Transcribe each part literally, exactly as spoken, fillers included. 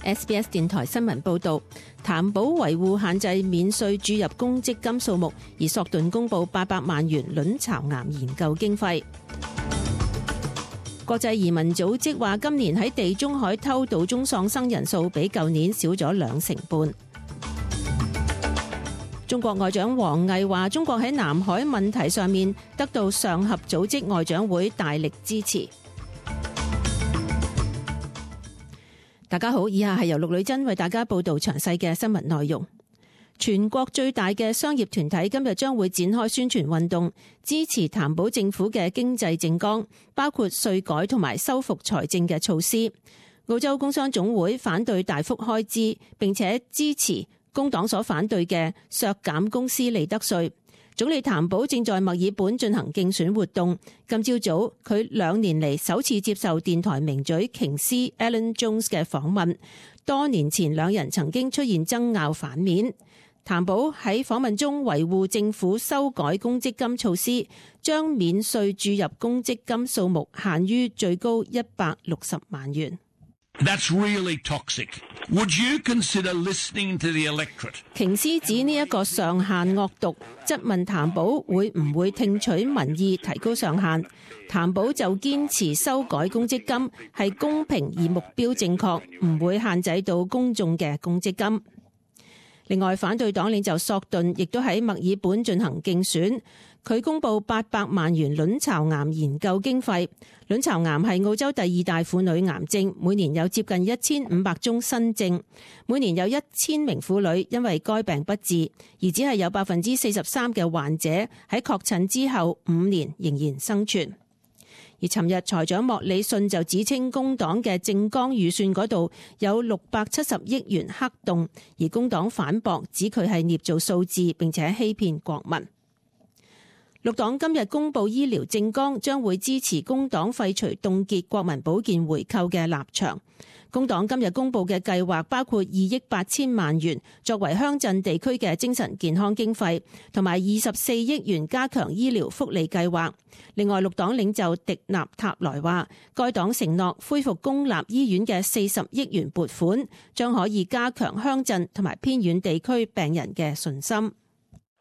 S B S 電台新聞報導，譚寶維護限制免稅注入公積金數目，而索頓公佈八百萬元卵巢癌研究經費。國際移民組織話，今年喺地中海偷渡中喪生人數比舊年少咗兩成半。中國外長王毅話，中國喺南海問題上面得到上合組織外長會大力支持。大家好，以下係由陸女珍為大家報道詳細嘅新聞內容。全國最大嘅商業團體今日將會展開宣傳運動，支持譚寶政府嘅經濟政綱，包括稅改同埋修復財政嘅措施。澳洲工商總會反對大幅開支，並且支持工黨所反對嘅削減公司利得稅。總理譚寶正在墨爾本進行競選活動。今朝早佢兩年嚟首次接受電台名嘴瓊斯 Alan Jones 嘅訪問。多年前兩人曾經出現爭拗反面。譚寶喺訪問中維護政府修改公積金措施，將免稅注入公積金數目限於最高一百六十萬元。That's really toxic. Would you consider listening to the electorate? 瓊斯指呢一個上限惡毒，質問譚寶會唔會聽取民意提高上限。譚寶就堅持修改公積金係公平而目標正確，唔會限制到公眾嘅公積金。另外，反對黨領袖索頓亦都喺墨爾本進行競選。佢公布八百萬元卵巢癌研究經費。卵巢癌係澳洲第二大婦女癌症，每年有接近一千五百宗新症，每年有一千名婦女因為該病不治，而只係有百分之四十三嘅患者喺確診之後五年仍然生存。而尋日財長莫里遜就指稱工黨嘅政綱預算嗰度有六百七十億元黑洞，而工黨反駁指佢係捏造數字並且欺騙國民。綠黨今日公布醫療政綱，將會支持工黨廢除凍結國民保健回扣嘅立場。工黨今日公布嘅計劃包括二億八千萬元作為鄉鎮地區嘅精神健康經費，同埋二十四億元加強醫療福利計劃。另外，綠黨領袖迪納塔萊話，該黨承諾恢復公立醫院嘅四十億元撥款，將可以加強鄉鎮同埋偏遠地區病人嘅信心。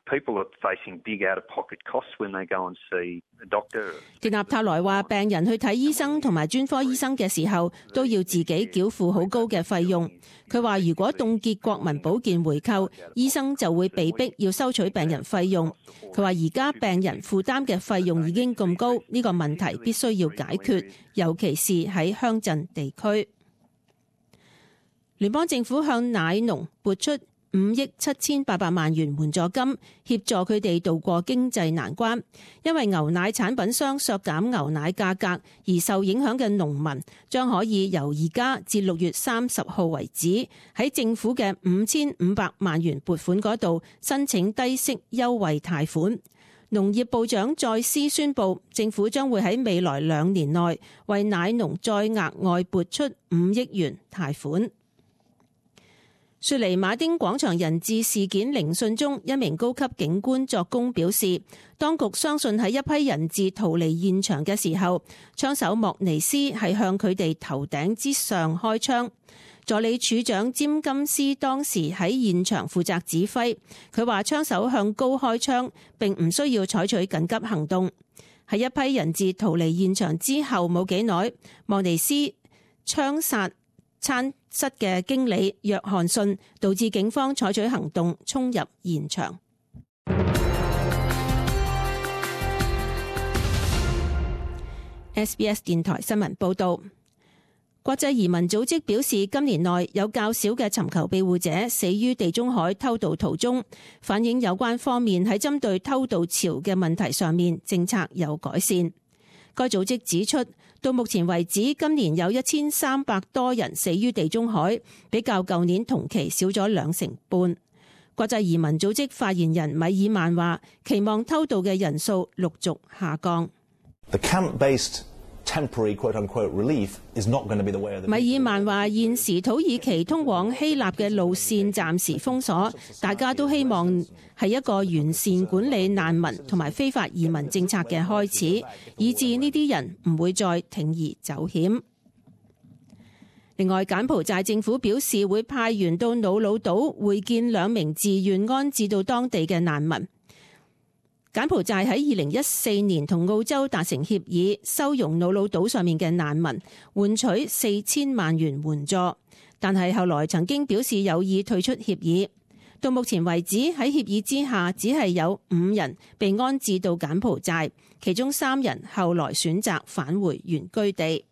People are facing big out-of-pocket costs when they go and see a doctor. 迪納塔萊話，病人去睇醫生同埋專科醫生嘅時候，都要自己繳付好高嘅費用。佢話，如果凍結國民保健回扣，醫生就會被逼要收取病人費用。佢話，而家病人負擔嘅費用已經咁高，呢個問題必須要解決，尤其是喺鄉鎮地區。聯邦政府向奶農撥出五億七千八百萬元援助金，協助佢哋渡過經濟難關。因為牛奶產品商削減牛奶價格而受影響嘅農民，將可以由而家至六月三十號為止，喺政府嘅五千五百萬元撥款嗰度申請低息優惠貸款。農業部長再斯宣布，政府將會喺未來兩年內為奶農再額外撥出五億元貸款。雪梨馬丁廣場人質事件聆訊中，一名高級警官作供表示，當局相信喺一批人質逃離現場嘅時候，槍手莫尼斯係向佢哋頭頂之上開槍。助理處長詹金斯當時喺現場負責指揮，佢話槍手向高開槍並唔需要採取緊急行動。喺一批人質逃離現場之後冇幾耐，莫尼斯槍殺餐室嘅經理約翰遜，導致警方採取行動衝入現場。S B S 電台新聞報道，國際移民組織表示，今年內有較少嘅尋求庇護者死於地中海偷渡途中，反映有關方面喺針對偷渡潮嘅問題上面政策有改善。該組織指出，到目前為止，今年有一千三百多人死於地中海，比較舊年同期少咗兩成半。國際移民組織發言人米爾曼話，期望偷渡嘅人數陸續下降。The camp-based temporary quote-unquote relief is not going to be the way of the people. 米爾曼話，現時土耳其通往希臘嘅路線暫時封鎖，大家都希望係一個完善管理難民同埋非法移民政策嘅開始，以致呢啲人唔會再鋌而走險。另外，柬埔寨政府表示會派員到瑙魯島會見兩名自願安置到當地嘅難民。柬埔寨喺二零一四年同澳洲達成協議，收容瑙魯島上面嘅難民，換取四千萬元援助，但係後來曾經表示有意退出協議。到目前為止，喺協議之下，只係有五人被安置到柬埔寨，其中三人後來選擇返回原居地。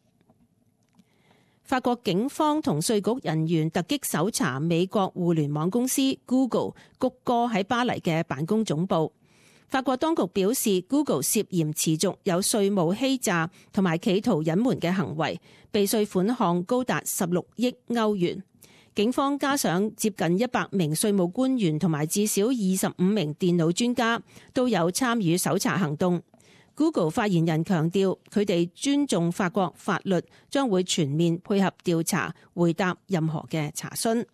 法國警方同稅局人員突擊搜查美國互聯網公司 Google 谷歌喺巴黎嘅辦公總部。法國當局表示 Google 涉嫌持續有稅務欺詐同埋企圖隱瞞嘅行為，被稅款項高達十六億歐元。警方加上接近一百名稅務官員同埋至少二十五名電腦專家都有參與搜查行動。Google 發言人強調，佢哋尊重法國法律，將會全面配合調查，回答任何嘅查詢。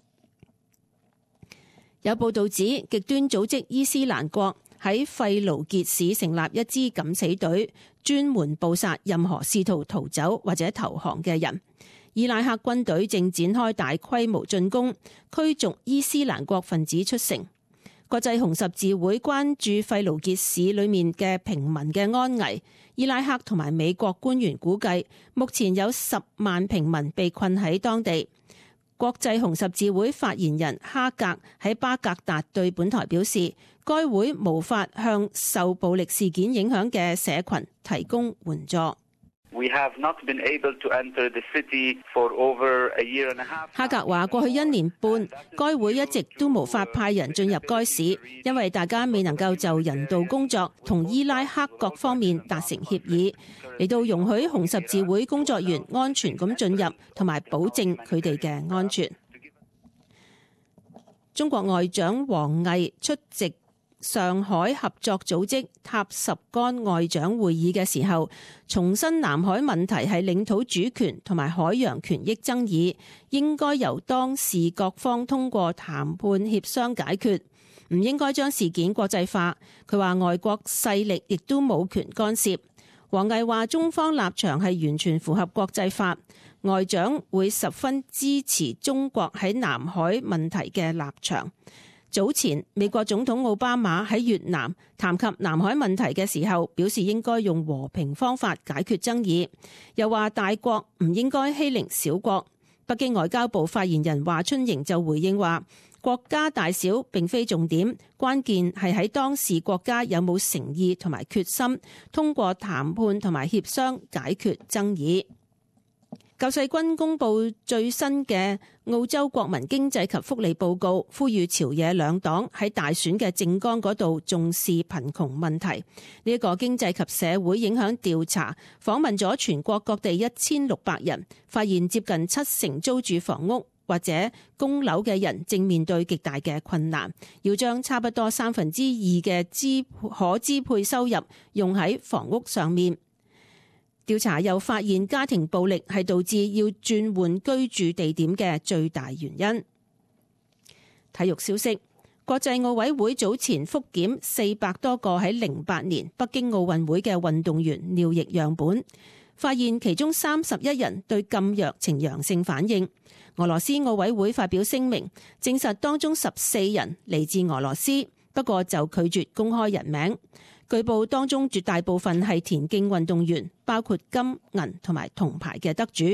有報道指，極端組織伊斯蘭國喺費盧傑市成立一支敢死隊，專門捕殺任何試圖逃走或者投降嘅人。伊拉克軍隊正展開大規模進攻，驅逐伊斯蘭國分子出城。國際紅十字會關注費盧傑市裏面嘅平民嘅安危。伊拉克同埋美國官員估計，目前有十萬平民被困喺當地。國際紅十字會發言人哈格喺巴格達對本台表示，該會無法向受暴力事件影響嘅社群提供援助。We have not been able to enter the city for over a year and a half. 哈格話：過去一年半，該會一直都無法派人進入該市，因為大家未能夠就人道工作同伊拉克各方面達成協議，嚟到容許紅十字會工作員安全咁進入，同埋保證佢哋嘅安全。中國外長王毅出席上海合作組織塔什干外長會議嘅時候，重申南海問題係領土主權同埋海洋權益爭議，應該由當事各方通過談判協商解決，唔應該將事件國際化。佢話外國勢力亦都冇權干涉。王毅話中方立場係完全符合國際法，外長會十分支持中國喺南海問題嘅立場。早前美國總統奧巴馬喺越南談及南海問題嘅時候，表示應該用和平方法解決爭議，又話大國唔應該欺凌小國。北京外交部發言人華春瑩就回應話，國家大小並非重點，關鍵係喺當事國家有冇誠意同埋決心，通過談判同埋協商解決爭議。救世軍公布最新嘅澳洲國民經濟及福利報告，呼籲朝野兩黨喺大選嘅政綱嗰度重視貧窮問題。呢一個經濟及社會影響調查訪問咗全國各地一千六百人，發現接近七成租住房屋或者供樓嘅人正面對極大嘅困難，要將差不多三分之二嘅支可支配收入用喺房屋上面。調查又發現家庭暴力係導致要轉換居住地點嘅最大原因。體育消息，國際奧委會早前復檢四百多個喺零八年北京奧運會嘅運動員尿液樣本，發現其中三十一人對禁藥呈陽性反應。俄羅斯奧委會發表聲明，證實當中十四人嚟自俄羅斯，不過就拒絕公開人名。據報當中絕大部分係田徑運動員，包括金銀同埋銅牌嘅得主。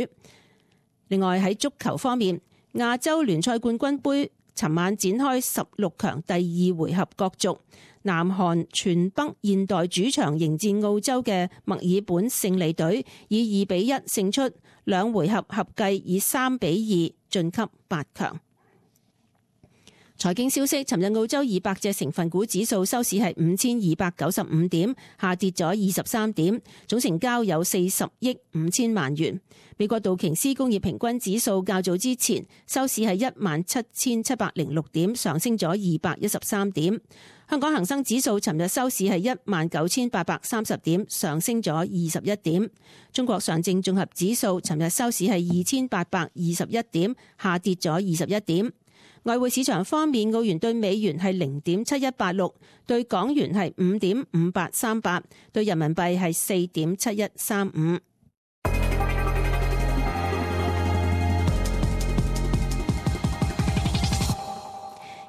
另外喺足球方面，亞洲聯賽冠軍盃尋晚展開十六強第二回合角逐，南韓全北現代主場迎戰澳洲嘅墨爾本勝利隊，以二比一勝出，兩回合合計以三比二晉級八強。財經消息，尋日澳洲二百隻成分股指數收市係五千二百九十五點，下跌咗二十三點，總成交有四十億五千萬元。美國道瓊斯工業平均指數較早之前收市係一萬七千七百零六點，上升咗二百一十三點。香港恒生指數尋日收市係一萬九千八百三十點，上升咗二十一點。中國上證綜合指數尋日收市係二千八百二十一點，下跌咗二十一點。外匯市場方面，澳元對美元係零點七一八六，對港元係五點五八三八，對人民幣係四點七一三五。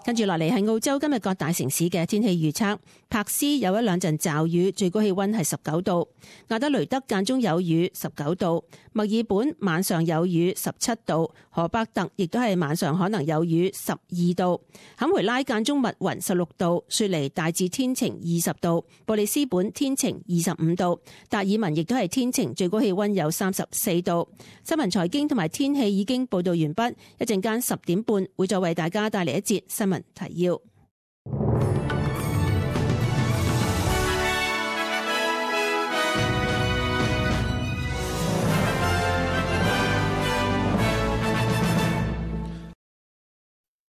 跟住落嚟係澳洲今日各大城市嘅天氣預測。柏斯有一兩陣驟雨，最高氣溫係十九度；亞德雷德間中有雨，十九度；墨爾本晚上有雨，十七度；荷伯特亦都係晚上可能有雨，十二度；坎培拉間中密雲，十六度；雪梨大致天晴，二十度；布里斯本天晴，二十五度；達爾文亦都係天晴，最高氣溫有三十四度。新聞財經同埋天氣已經報道完畢，一陣間十點半會再為大家帶嚟一節新聞提要。